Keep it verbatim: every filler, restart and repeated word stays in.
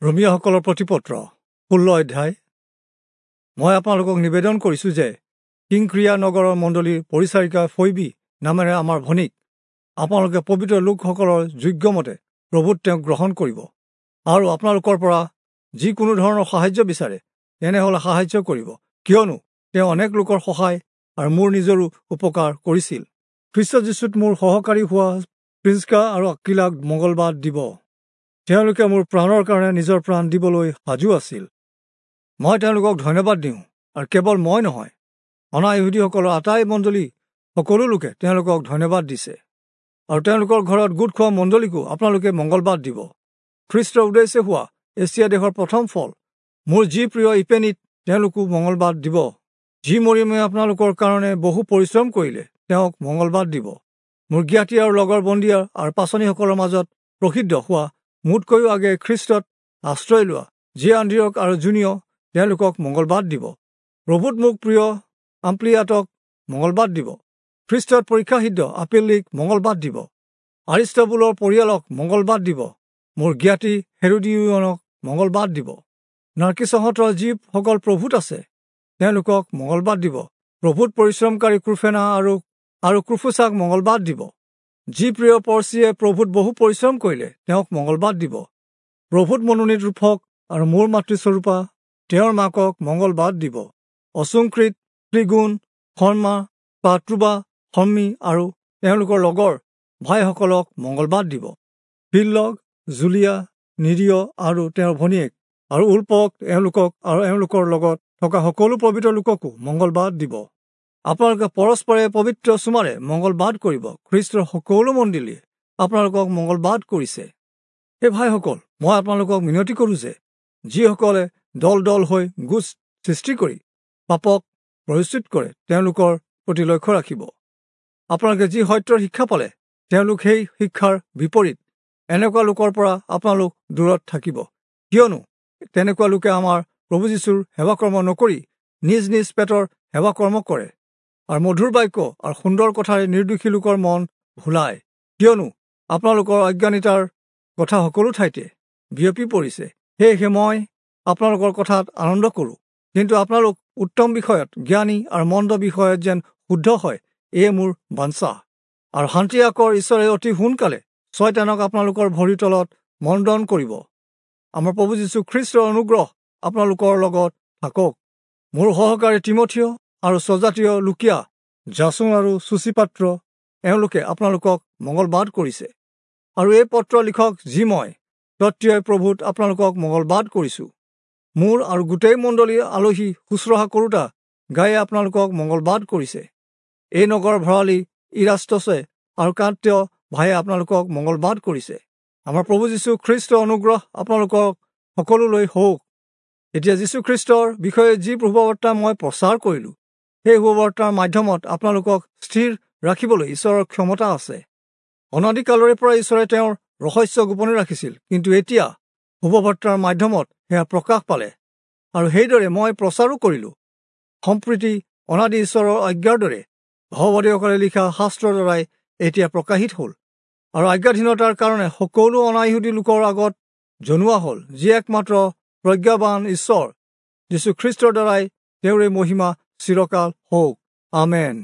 ৰোমীয়াসকলৰ প্ৰতিপত্ৰ ষোল্ল অধ্যায়। মই আপোনালোকক নিবেদন কৰিছোঁ যে কিংক্ৰিয়া নগৰৰ মণ্ডলীৰ পৰিচাৰিকা ফৈবী নামেৰে আমাৰ ভনীক আপোনালোকে পবিত্ৰ লোকসকলৰ যোগ্যমতে প্ৰভুত তেওঁক গ্ৰহণ কৰিব আৰু আপোনালোকৰ পৰা যিকোনো ধৰণৰ সাহায্য বিচাৰে তেনেহ'লে সাহায্য কৰিব, কিয়নো তেওঁ অনেক লোকৰ সহায় আৰু মোৰ নিজৰো উপকাৰ কৰিছিল। খ্ৰীষ্ট যীশুত মোৰ সহকাৰী হোৱা প্ৰিস্কা আৰু আকিলাক মংগলবাদ দিব। তেওঁলোকে মোৰ প্ৰাণৰ কাৰণে নিজৰ প্ৰাণ দিবলৈ সাজু আছিল। মই তেওঁলোকক ধন্যবাদ দিওঁ, আৰু কেৱল মই নহয়, অনা ইহুদীসকলৰ আটাই মণ্ডলী সকলো লোকে তেওঁলোকক ধন্যবাদ দিছে। আৰু তেওঁলোকৰ ঘৰত গোট খোৱা মণ্ডলীকো আপোনালোকে মংগলবাদ দিব। খ্ৰীষ্টৰ উদ্দেশ্যে হোৱা এছিয়া দেশৰ প্ৰথম ফল মোৰ যি প্ৰিয় ইপেনিত তেওঁলোকো মংগলবাদ দিব। যি মৰিয়মে আপোনালোকৰ কাৰণে বহু পৰিশ্ৰম কৰিলে তেওঁক মংগলবাদ দিব। মোৰ জ্ঞাতি আৰু লগৰ বন্দীয়া আৰু পাচনিসকলৰ মাজত প্ৰসিদ্ধ হোৱা মোতকৈও আগে খ্ৰীষ্টত আশ্ৰয় লোৱা যি আন্দ্ৰিয়ক আৰু জুনিয় তেওঁলোকক মংগলবাদ দিব। প্ৰভুত মোক প্ৰিয় আম্প্লিয়াতক মংগলবাদ দিব। খ্ৰীষ্টত পৰীক্ষাসিদ্ধ আপেলিক মংগলবাদ দিব। আৰিষ্টবুলৰ পৰিয়ালক মংগলবাদ দিব। মোৰ জ্ঞাতি হেৰুডিয়নক মংগলবাদ দিব। নাৰ্কিছহঁতৰ যিসকল প্ৰভুত আছে তেওঁলোকক মংগলবাদ দিব। প্ৰভুত পৰিশ্ৰমকাৰী ক্ৰুফেনা আৰু আৰু ক্ৰুফুচাক মংগলবাদ দিব। যি প্ৰিয় পৰ্চিয়ে প্ৰভুত বহু পৰিশ্ৰম কৰিলে তেওঁক মংগলবাদ দিব। প্ৰভুত মনোনীত ৰূপক আৰু মোৰ মাতৃস্বৰূপা তেওঁৰ মাকক মংগলবাদ দিব। অচুংকৃত, ত্ৰিগুণ, শৰ্মা, পাত্ৰুবা, শৰ্মী আৰু তেওঁলোকৰ লগৰ ভাইসকলক মংগলবাদ দিব। ফিল্লগ, জুলিয়া, নিৰিয় আৰু তেওঁৰ ভনীয়েক আৰু উল্পক এওঁলোকক আৰু এওঁলোকৰ লগত থকা সকলো পবিত্ৰ লোককো মংগলবাদ দিব। আপোনালোকে পৰস্পৰে পবিত্ৰ চুমাৰে মংগলবাদ কৰিব। খ্ৰীষ্টৰ সকলো মণ্ডলীয়ে আপোনালোকক মংগলবাদ কৰিছে। হে ভাইসকল, মই আপোনালোকক মিনতি কৰোঁ যে যিসকলে দল দল হৈ গোট সৃষ্টি কৰি পাপক পৰিচিত কৰে তেওঁলোকৰ প্ৰতি লক্ষ্য ৰাখিব। আপোনালোকে যি সত্যৰ শিক্ষা পালে তেওঁলোক সেই শিক্ষাৰ বিপৰীত এনেকুৱা লোকৰ পৰা আপোনালোক দূৰত থাকিব, কিয়নো তেনেকুৱা লোকে আমাৰ প্ৰভু যীশুৰ সেৱাকৰ্ম নকৰি নিজ নিজ পেটৰ সেৱাকৰ্ম কৰে আৰু মধুৰ বাক্য আৰু সুন্দৰ কথাৰে নিৰ্দোষী লোকৰ মন ভুলায়। কিয়নো আপোনালোকৰ অজ্ঞানিতাৰ কথা সকলো ঠাইতে বিয়পি পৰিছে। সেয়েহে মই আপোনালোকৰ কথাত আনন্দ কৰোঁ, কিন্তু আপোনালোক উত্তম বিষয়ত জ্ঞানী আৰু মন্দ বিষয়ত যেন শুদ্ধ হয়, এয়ে মোৰ বাঞ্ছা। আৰু শান্তি আকৰ ঈশ্বৰে অতি সোনকালে ছয়তানক আপোনালোকৰ ভৰিৰ তলত মণ্ডন কৰিব। আমাৰ প্ৰভু যীশু খ্ৰীষ্টৰ অনুগ্ৰহ আপোনালোকৰ লগত থাকক। মোৰ সহকাৰী তিমথিয় আৰু স্বজাতীয় লুকীয়া, জাচোন আৰু সূচীপাত্ৰ এওঁলোকে আপোনালোকক মংগলবাদ কৰিছে। আৰু এই পত্ৰ লিখক যি মই তত্ত্বই প্ৰভুত আপোনালোকক মংগলবাদ কৰিছোঁ। মোৰ আৰু গোটেই মণ্ডলীৰ আলহী শুশ্ৰূষা কৰোঁতা গায়ে আপোনালোকক মংগলবাদ কৰিছে। এই নগৰ ভঁৰালী ইৰাষ্টছে আৰু কান্তীয় ভায়ে আপোনালোকক মংগলবাদ কৰিছে। আমাৰ প্ৰভু যীশু খ্ৰীষ্টৰ অনুগ্ৰহ আপোনালোকক সকলোলৈ হওক। এতিয়া যীশুখ্ৰীষ্টৰ বিষয়ে যি শুভবাৰ্তা মই প্ৰচাৰ কৰিলোঁ, সেই শুভবাৰ্তাৰ মাধ্যমত আপোনালোকক স্থিৰ ৰাখিবলৈ ঈশ্বৰৰ ক্ষমতা আছে। অনাদিকালৰে পৰা ঈশ্বৰে তেওঁৰ ৰহস্য গোপনে ৰাখিছিল, কিন্তু এতিয়া শুভবাৰ্তাৰ মাধ্যমত সেয়া প্ৰকাশ পালে আৰু সেইদৰে মই প্ৰচাৰো কৰিলোঁ। সম্প্ৰীতি অনাদি ঈশ্বৰৰ আজ্ঞাৰ দৰে ভাৱবাদীসকলে লিখা শাস্ত্ৰৰ দ্বাৰাই এতিয়া প্ৰকাশিত হ'ল আৰু আজ্ঞাধীনতাৰ কাৰণে সকলো অনাইহুদী লোকৰ আগত জনোৱা হ'ল, যি একমাত্ৰ প্ৰজ্ঞাবান ঈশ্বৰ যীশুখ্ৰীষ্টৰ দ্বাৰাই তেওঁৰে মহিমা চিৰকাল হওক। আমেন।